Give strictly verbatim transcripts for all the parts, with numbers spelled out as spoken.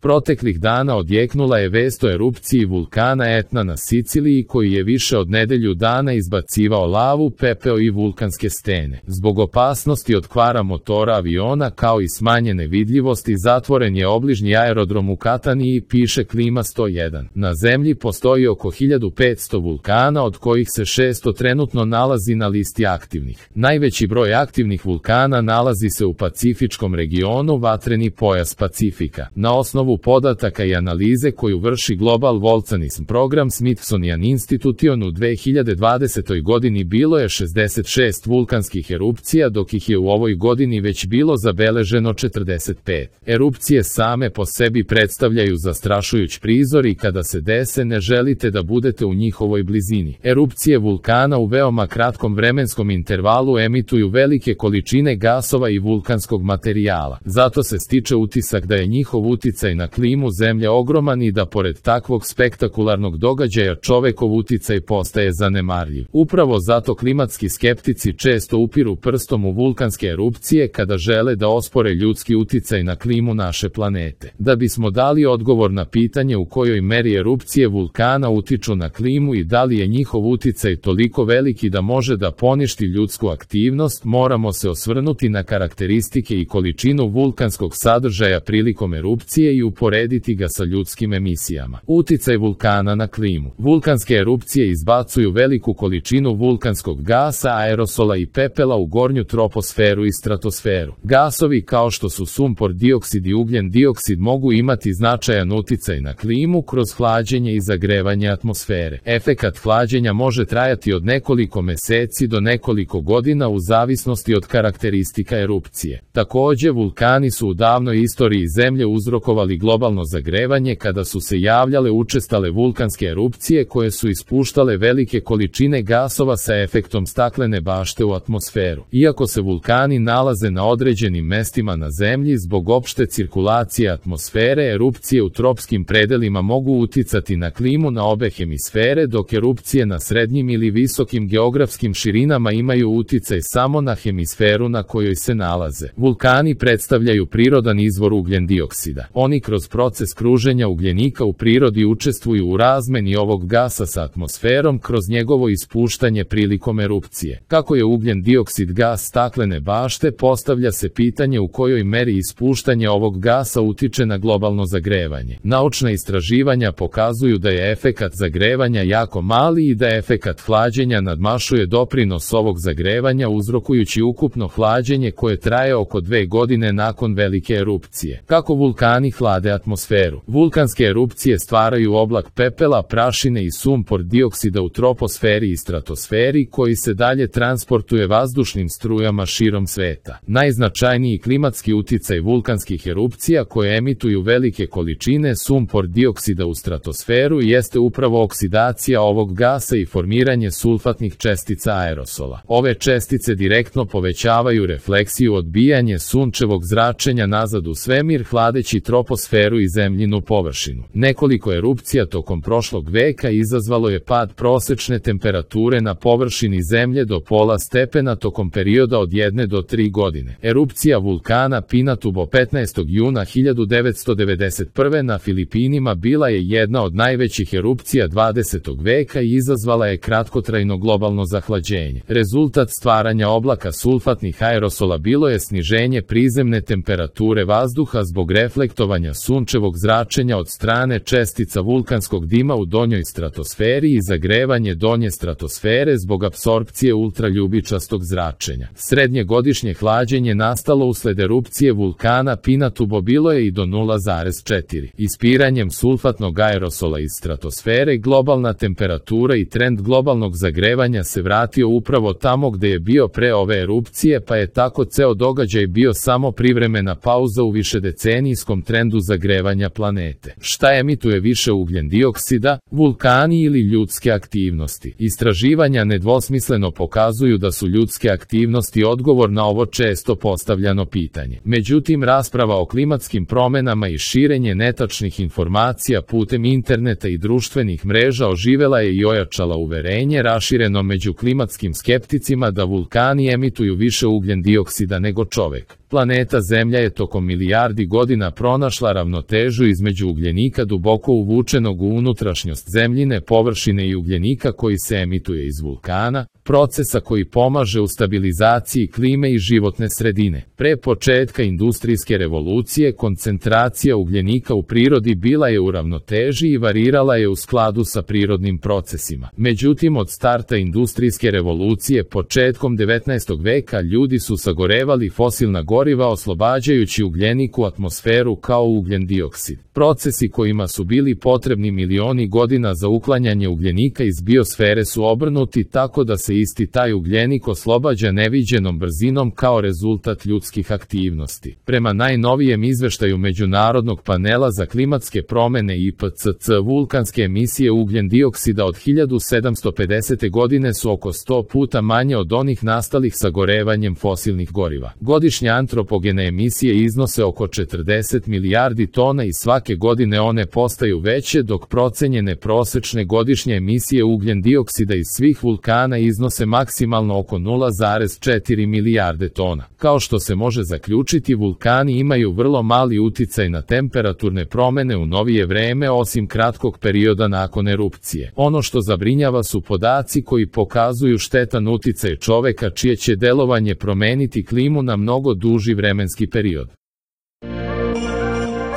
Proteklih dana odjeknula je vest o erupciji vulkana Etna na Siciliji koji je više od nedelju dana izbacivao lavu, pepeo i vulkanske stene. Zbog opasnosti od kvara motora aviona kao i smanjene vidljivosti zatvoren je obližnji aerodrom u Kataniji, piše Klima sto jedan. Na zemlji postoji oko hiljadu petsto vulkana, od kojih se šesto trenutno nalazi na listi aktivnih. Najveći broj aktivnih vulkana nalazi se u Pacifičkom regionu, vatreni pojas Pacifika. Na osnovu podataka i analize koju vrši Global Volcanism program Smithsonian Institution u dve hiljade dvadesetoj godini bilo je šezdeset šest vulkanskih erupcija, dok ih je u ovoj godini već bilo zabeleženo četrdeset pet. Erupcije same po sebi predstavljaju zastrašujuć prizor i kada se dese ne želite da budete u njihovoj blizini. Erupcije vulkana u veoma kratkom vremenskom intervalu emituju velike količine gasova i vulkanskog materijala. Zato se stiče utisak da je njihov uticaj na klimu Zemlje ogroman i da pored takvog spektakularnog događaja čovekov uticaj postaje zanemarljiv. Upravo zato klimatski skeptici često upiru prstom u vulkanske erupcije kada žele da ospore ljudski uticaj na klimu naše planete. Da bismo dali odgovor na pitanje u kojoj meri erupcije vulkana utiču na klimu i da li je njihov uticaj toliko veliki da može da poništi ljudsku aktivnost, moramo se osvrnuti na karakteristike i količinu vulkanskog sadržaja prilikom erupcije i uporediti ga sa ljudskim emisijama. Uticaj vulkana na klimu. Vulkanske erupcije izbacuju veliku količinu vulkanskog gasa, aerosola i pepela u gornju troposferu i stratosferu. Gasovi kao što su sumpor dioksid i ugljen dioksid mogu imati značajan uticaj na klimu kroz hlađenje i zagrevanje atmosfere. Efekat hlađenja može trajati od nekoliko meseci do nekoliko godina u zavisnosti od karakteristika erupcije. Takođe, vulkani su u davnoj istoriji Zemlje uzrokovali globalno zagrevanje kada su se javljale učestale vulkanske erupcije koje su ispuštale velike količine gasova sa efektom staklene bašte u atmosferu. Iako se vulkani nalaze na određenim mestima na Zemlji, zbog opšte cirkulacije atmosfere, erupcije u tropskim predelima mogu uticati na klimu na obe hemisfere, dok erupcije na srednjim ili visokim geografskim širinama imaju uticaj samo na hemisferu na kojoj se nalaze. Vulkani predstavljaju prirodan izvor ugljen dioksida. Oni kroz proces kruženja ugljenika u prirodi učestvuju u razmeni ovog gasa sa atmosferom kroz njegovo ispuštanje prilikom erupcije. Kako je ugljen dioksid gas staklene bašte, postavlja se pitanje u kojoj meri ispuštanje ovog gasa utiče na globalno zagrevanje. Naučna istraživanja pokazuju da je efekat zagrevanja jako mali i da efekat hlađenja nadmašuje doprinos ovog zagrevanja, uzrokujući ukupno hlađenje koje traje oko dve godine nakon velike erupcije. Kako vulkani hlade atmosferu? Vulkanske erupcije stvaraju oblak pepela, prašine i sumpor dioksida u troposferi i stratosferi koji se dalje transportuje vazdušnim strujama širom sveta. Najznačajniji klimatski uticaj vulkanskih erupcija koje emituju velike količine sumpor dioksida u stratosferu jeste upravo oksidacija ovog gasa i formiranje sulfatnih čestica aerosola. Ove čestice direktno povećavaju refleksiju odbijanje sunčevog zračenja nazad u svemir, hladeći troposferu i zemljinu površinu. Nekoliko erupcija tokom prošlog veka izazvalo je pad prosečne temperature na površini Zemlje do pola stepena tokom perioda od jedne do tri godine. Erupcija vulkana Pinatubo petnaestog juna hiljadu devetsto devedeset prve na Filipinima bila je jedna od najvećih erupcija dvadesetog veka i izazvala je kratkotrajno globalno zahlađenje. Rezultat stvaranja oblaka sulfatnih aerosola bilo je sniženje prizemne temperature vazduha zbog reflektovanja sunčevog zračenja od strane čestica vulkanskog dima u donjoj stratosferi i zagrevanje donje stratosfere zbog apsorpcije ultraljubičastog zračenja. Srednje godišnje hlađenje nastalo usled erupcije vulkana Pinatubo bilo je i do nula zarez četiri. Ispiranjem sulfatnog aerosola iz stratosfere globalna temperatura i trend globalnog zagrevanja se vratio upravo tamo gde je bio pre ove erupcije, pa je tako ceo događaj bio samo privremena pauza u višedecenijskom trendu zagrevanja planete. Šta emituje više ugljen dioksida, vulkani ili ljudske aktivnosti? Istraživanja nedvosmisleno pokazuju da su ljudske aktivnosti odgovor na ovo često postavljano pitanje. Međutim, rasprava o klimatskim promenama i širenje netačnih informacija putem interneta i društvenih mreža oživela je i ojačala uverenje rašireno među klimatskim skepticima da vulkani emituju više ugljen dioksida nego čovek. Planeta Zemlja je tokom milijardi godina pronašla narušila ravnotežu između ugljenika duboko uvučenog u unutrašnjost zemljine površine i ugljenika koji se emituje iz vulkana, procesa koji pomaže u stabilizaciji klime i životne sredine. Pre početka industrijske revolucije koncentracija ugljenika u prirodi bila je u ravnoteži i varirala je u skladu sa prirodnim procesima. Međutim, od starta industrijske revolucije početkom devetnaestog veka ljudi su sagorevali fosilna goriva oslobađajući ugljenik u atmosferu kao ugljen dioksid. Procesi kojima su bili potrebni milioni godina za uklanjanje ugljenika iz biosfere su obrnuti tako da se isti taj ugljenik oslobađa neviđenom brzinom kao rezultat ljudskih aktivnosti. Prema najnovijem izveštaju Međunarodnog panela za klimatske promene I P C C, vulkanske emisije ugljen dioksida od hiljadu sedamsto pedesete godine su oko sto puta manje od onih nastalih sagorevanjem fosilnih goriva. Godišnje antropogene emisije iznose oko četrdeset milijardi tona i svake godine one postaju veće, dok procenjene prosečne godišnje emisije ugljen dioksida iz svih vulkana iznose maksimalno oko nula zarez četiri milijarde tona. Kao što se može zaključiti, vulkani imaju vrlo mali uticaj na temperaturne promene u novije vreme osim kratkog perioda nakon erupcije. Ono što zabrinjava su podaci koji pokazuju štetan uticaj čoveka čije će delovanje promeniti klimu na mnogo duži vremenski period.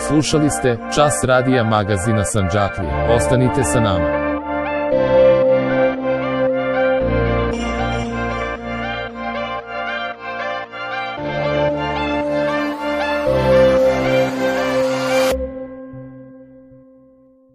Slušali ste Čas radija magazina Sandžaklija. Ostanite sa nama.